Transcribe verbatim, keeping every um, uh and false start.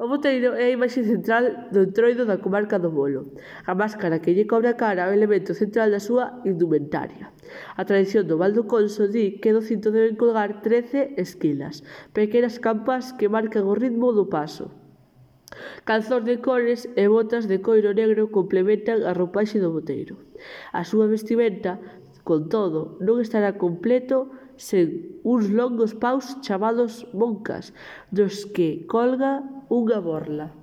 O boteiro é a imaxe central do entroido da comarca do Bolo. A máscara que lle cobre a cara é o elemento central da súa indumentaria. A tradición do Val do Conso di que do cinto deben colgar trece esquilas, pequenas campás que marcan o ritmo do paso. Calzóns de cores e botas de coiro negro complementan a roupaxe do boteiro. A súa vestimenta, con todo, non estará completo sen uns longos paus chamados moncas, dos que colga unha borla.